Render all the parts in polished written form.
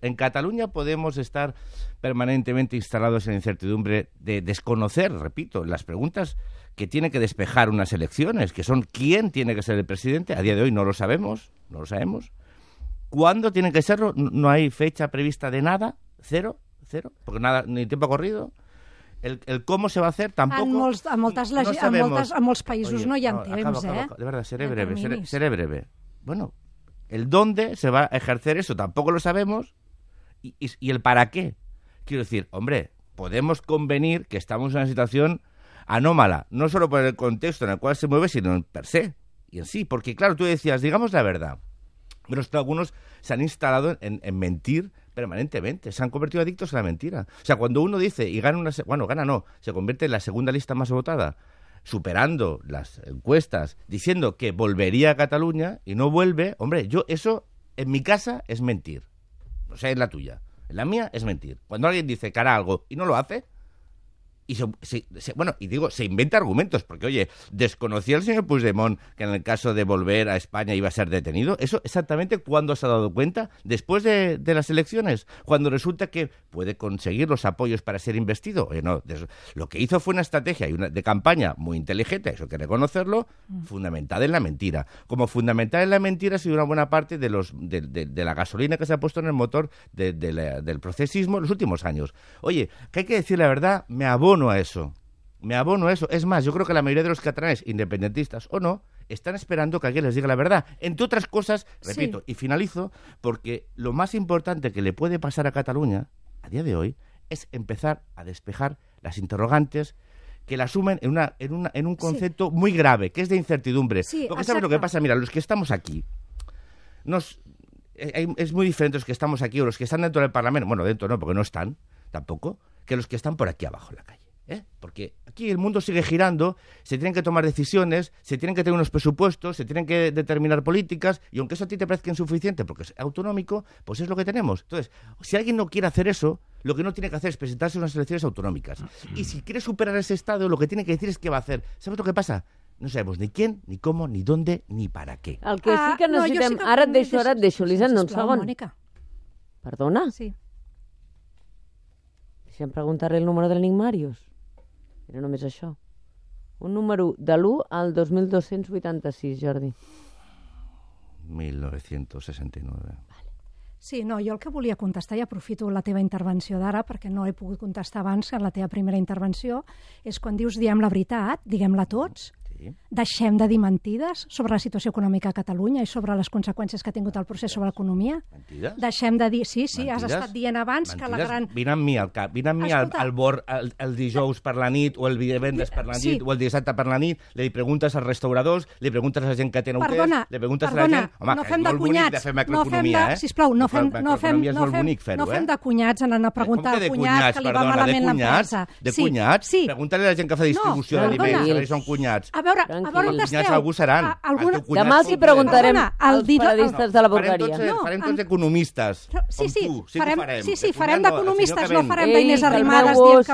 En Cataluña podemos estar permanentemente instalados en la incertidumbre de desconocer, repito, las preguntas que tiene que despejar unas elecciones, que son quién tiene que ser el presidente. A día de hoy no lo sabemos. ¿Cuándo tiene que serlo? No hay fecha prevista de nada, cero, porque nada, ni tiempo corrido. El cómo se va a hacer tampoco... En molts països no hi ha temps, De verdad, seré breve. Bueno, el dónde se va a ejercer eso tampoco lo sabemos y el para qué. Quiero decir, hombre, podemos convenir que estamos en una situación anómala, no solo por el contexto en el cual se mueve, sino en per se y en sí. Porque, claro, tú decías, digamos la verdad, pero algunos se han instalado en mentir permanentemente, se han convertido adictos a la mentira. O sea, cuando uno dice y gana se convierte en la segunda lista más votada, superando las encuestas, diciendo que volvería a Cataluña y no vuelve, hombre, eso en mi casa es mentir. No sé, en la tuya. En la mía es mentir. Cuando alguien dice que hará algo y no lo hace, y se inventa argumentos, porque, oye, ¿desconocía el señor Puigdemont que en el caso de volver a España iba a ser detenido? ¿Eso exactamente cuándo se ha dado cuenta? ¿Después de las elecciones? Cuando resulta que puede conseguir los apoyos para ser investido. Oye, no, lo que hizo fue una estrategia de campaña muy inteligente, eso hay que reconocerlo, fundamentada en la mentira. Como fundamentada en la mentira ha sido una buena parte de la gasolina que se ha puesto en el motor del procesismo en los últimos años. Oye, que hay que decir la verdad, me abono a eso. Es más, yo creo que la mayoría de los catalanes, independentistas o no, están esperando que alguien les diga la verdad. Entre otras cosas, repito, y finalizo, porque lo más importante que le puede pasar a Cataluña, a día de hoy, es empezar a despejar las interrogantes que la asumen en un concepto muy grave, que es de incertidumbre. Sí, porque ¿sabes lo que pasa? Mira, los que estamos aquí, es muy diferente los que estamos aquí o los que están dentro del Parlamento, bueno, dentro no, porque no están tampoco, que los que están por aquí abajo en la calle. Porque aquí el mundo sigue girando, se tienen que tomar decisiones, se tienen que tener unos presupuestos, se tienen que determinar políticas, y aunque eso a ti te parezca insuficiente porque es autonómico, pues es lo que tenemos. Entonces, si alguien no quiere hacer eso, lo que no tiene que hacer es presentarse a unas elecciones autonómicas. Y si quiere superar ese estado, lo que tiene que decir es qué va a hacer. ¿Sabes lo que pasa? No sabemos ni quién, ni cómo, ni dónde, ni para qué. El que sí que necessitem... Ara et deixo, Elisenda, un segon. Mònica. Perdona? Sí. Deixa'm preguntar-li el número de l'Enigmàrius. Era només això. Un número de l'1 al 2286, Jordi. 1969. Sí, no, jo el que volia contestar, i aprofito la teva intervenció d'ara, perquè no he pogut contestar abans en la teva primera intervenció, és quan dius diem la veritat, diguem-la tots, deixem de dir mentides sobre la situació econòmica a Catalunya i sobre les conseqüències que ha tingut el procés sobre l'economia. Mentides? Deixem de dir... Sí, mentides? has estat dient abans que la gran... Vine amb mi al cap, vine amb mi al bord el dijous per la nit, o el divendres per la nit, o el dissabte per la nit, li preguntes als restauradors, li preguntes a la gent que té hotels, li preguntes a la gent... Home, no fem de cunyats. Sisplau, no fem de cunyats anant a preguntar al cunyat que li va malament l'empresa. De cunyats? Pregunta-li a la gent que fa distribució d'aliments, que són cunyats. A veure on esteu. Algú seran. Demà els hi preguntarem als periodistes de la Bulgària. Farem tots economistes, com tu. Sí, farem d'economistes, no farem d'Inés Arrimadas dient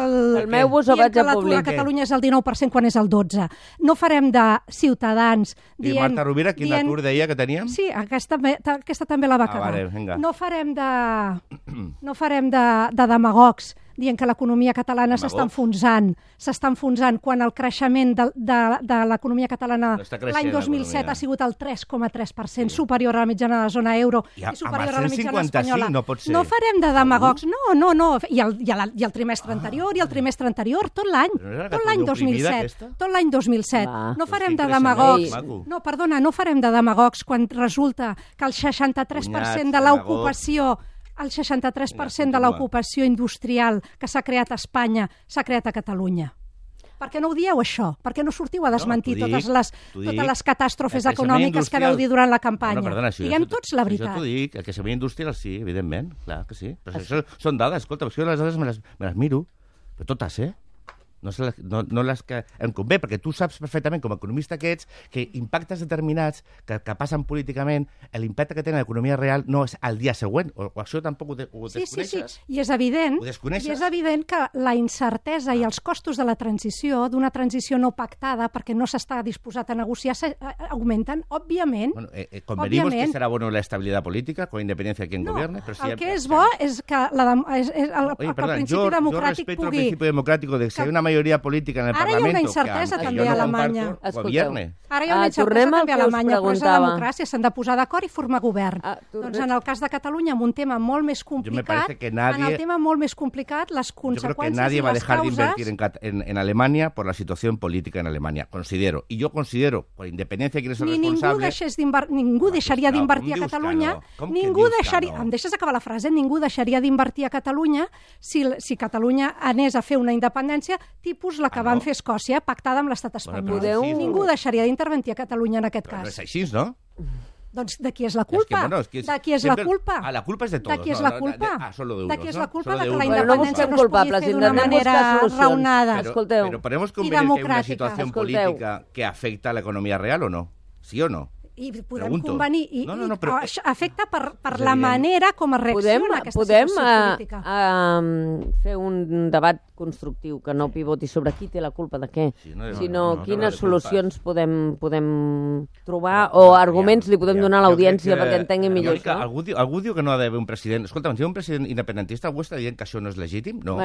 que l'atur a Catalunya és el 19% quan és el 12%. No farem de Ciutadans dient... I Marta Rovira, quin atur deia que teníem? Sí, aquesta també la va acabar. No farem de demagogs dient que l'economia catalana s'està enfonsant quan el creixement de l'economia catalana l'any 2007 ha sigut el 3,3%, superior a la mitjana de la zona euro i superior a la mitjana espanyola. No farem de demagogs, no. I el trimestre anterior, tot l'any 2007. No farem de demagogs. No farem de demagogs quan resulta que el 63% de l'ocupació el 63% de l'ocupació industrial que s'ha creat a Espanya s'ha creat a Catalunya. Per què no ho dieu, això? Per què no sortiu a desmentir totes les catàstrofes econòmiques que vau dir durant la campanya? Diguem tots la veritat. Això t'ho dic, el creixement industrial sí, evidentment, clar que sí. Però això són dades, escolta, les dades me les miro, però totes, no les que em convé, perquè tu saps perfectament, com a economista que ets, que impactes determinats que passen políticament, l'impacte que tenen a l'economia real no és al dia següent, o això tampoc ho desconeixes. Sí, i és evident que la incertesa i els costos de la transició, d'una transició no pactada, perquè no s'està disposat a negociar, augmenten, òbviament. Bueno, convenimos que serà bueno la estabilitat política, con independencia de quien gobierne. Però el que és bo és que el principi democràtic pugui... Yo respeto el principio democrático de que si hay una mayoría política en el Parlamento... Ara hi ha una incertesa també a Alemanya. Gobierne. Ara hi ha una incertesa també a Alemanya, però és la democràcia, s'han de posar d'acord i formar govern. Doncs en el cas de Catalunya, amb un tema molt més complicat, en el tema molt més complicat, les conseqüències i les causes... Yo creo que nadie va a dejar de invertir en Alemania por la situación política en Alemania, considero. Y yo considero, por independencia de quién es el responsable... Ningú deixaria d'invertir a Catalunya, em deixes acabar la frase, ningú deixaria d'invertir a Catalunya si Catalunya anés a fer una independència tipus la que van fer Escòcia, pactada amb l'estat espanyol. Ningú deixaria d'intervenir a Catalunya en aquest cas. Però és així, no? Doncs de qui és la culpa? De qui és la culpa? La culpa és de tots. De qui és la culpa? Solo de unos, de qui és la culpa de que no la independència no es pugui fer d'una manera raonada Pero podemos convenir que hay una situación política que afecta a la economía real o no? ¿Sí o no? I podem convenir, però afecta per la manera com es reacciona aquesta situació política. Podem fer un debat constructiu que no pivoti sobre qui té la culpa de què, sinó quines solucions podem trobar o arguments li podem donar a l'audiència perquè entengui millor això. Algú diu que no ha d'haver un president... Escolta, si hi ha un president independentista, algú està dient que això no és legítim? No.